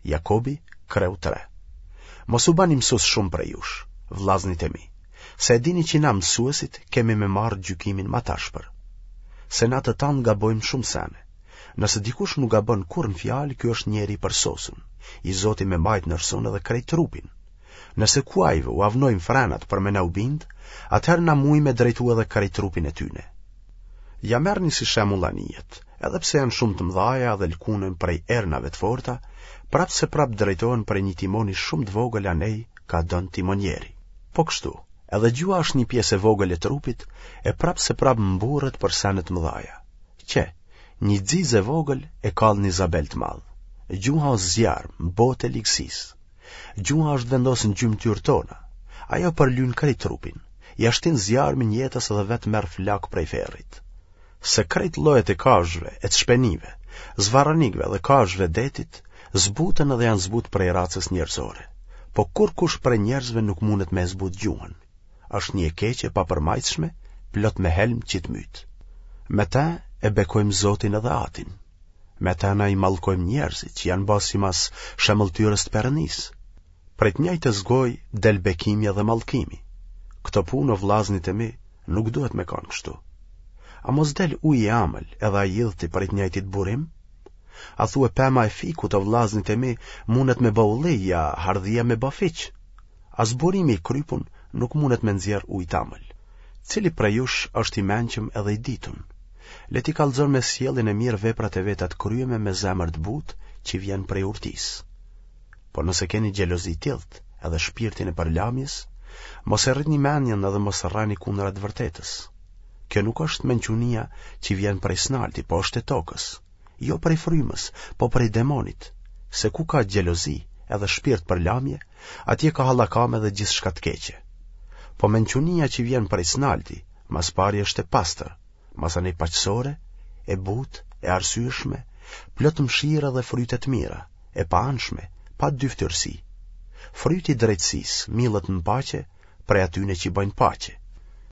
Jakobi, kreu 3. Mos u bani mësues shumë prej jush, vllaznit e mi, se e dini që na mësuesit kemi me marrë gjykimin ma t'ashpër. Se na të tanë gabojmë shumë sene. Nëse dikush nuk gabon kurrë në fjalë, ky është njeri i përsosun, i zoti me majtë nërsun edhe krejt trupin. Nëse kuajve ua vnojmë frenat për me na u bindë, atëherë na mujmë me drejtu edhe krejt trupin e tyne. Ja merrni si shembull anijet, edhe pse janë shumë të mëdhaja dhe lkunen prej ernave të forta, prapë se prapë drejtohen prej një timoni shumë të vogël anej ka don timonieri. Po kështu, edhe gjuha është një pjesë e vogël e trupit, e prapë se prapë mburret për sene të mëdhaja. Qe, një xixë e vogël e kall një zabel të madh. Gjuha është zjarm, botë e ligësisë. Gjuha është vendosë në gjymtyrë tona. Ajo përlyn krejt trupin. Ia shtin zjarmin jetës dhe vetë merr flakë prej ferrit. Se krejt llojet e kafshëve e të shpenive, zvarranikëve dhe kafshëve detit, zbuten edhe janë zbutë prej racës njerëzore. Po kurrkush prej njerëzve nuk mundet me e zbutë gjuhën. Është një e keqe e papërmajtshme, plot me helm që të myt. Me të e bekojmë Zotin edhe Atin. Me të na i mallkojmë njerëzit që janë ba simas shemëlltyrës të Perëndisë. Prej të njëjtës gojë del bekimi edhe mallkimi. Këto punë o vllaznit e mi nuk duhet me kanë kështu. A mos del uji i amël edhe ai i idhti prej të njëjtit burim? A thue pema e fikut o vllaznit e mi mundet me ba ulli ja hardhia me ba fiq? As burimi i krypun nuk mundet me nxjerr ujë t'amël. Cili prej jush është i mençëm edhe i ditun? Le t'i kallxon me sjelljen e mirë veprat e veta të kryeme me zemër të butë që vjen prej urtisë. Po nëse keni xhelozi t'idht edhe shpirtin e përlamjes, mos e rritni mendjen edhe mos rreni kundra të vërtetës. Kjo nuk është mençunia që vjen prej s'nalti, po është e tokës, jo prej frymës, po prej demonit, se ku ka xhelozi edhe shpirt përlamje, atje ka hallakamë edhe gjithçka të keqe. Po mençunia që vjen prej s'nalti, ma s'pari është e pastër, masanej paqësore, e butë, e arsyeshme, plot mëshirë dhe fryte të mira, e paanshme, pa dyftyrësi. Fryti i drejtësisë millet në paqe prej atyne që bëjnë paqe.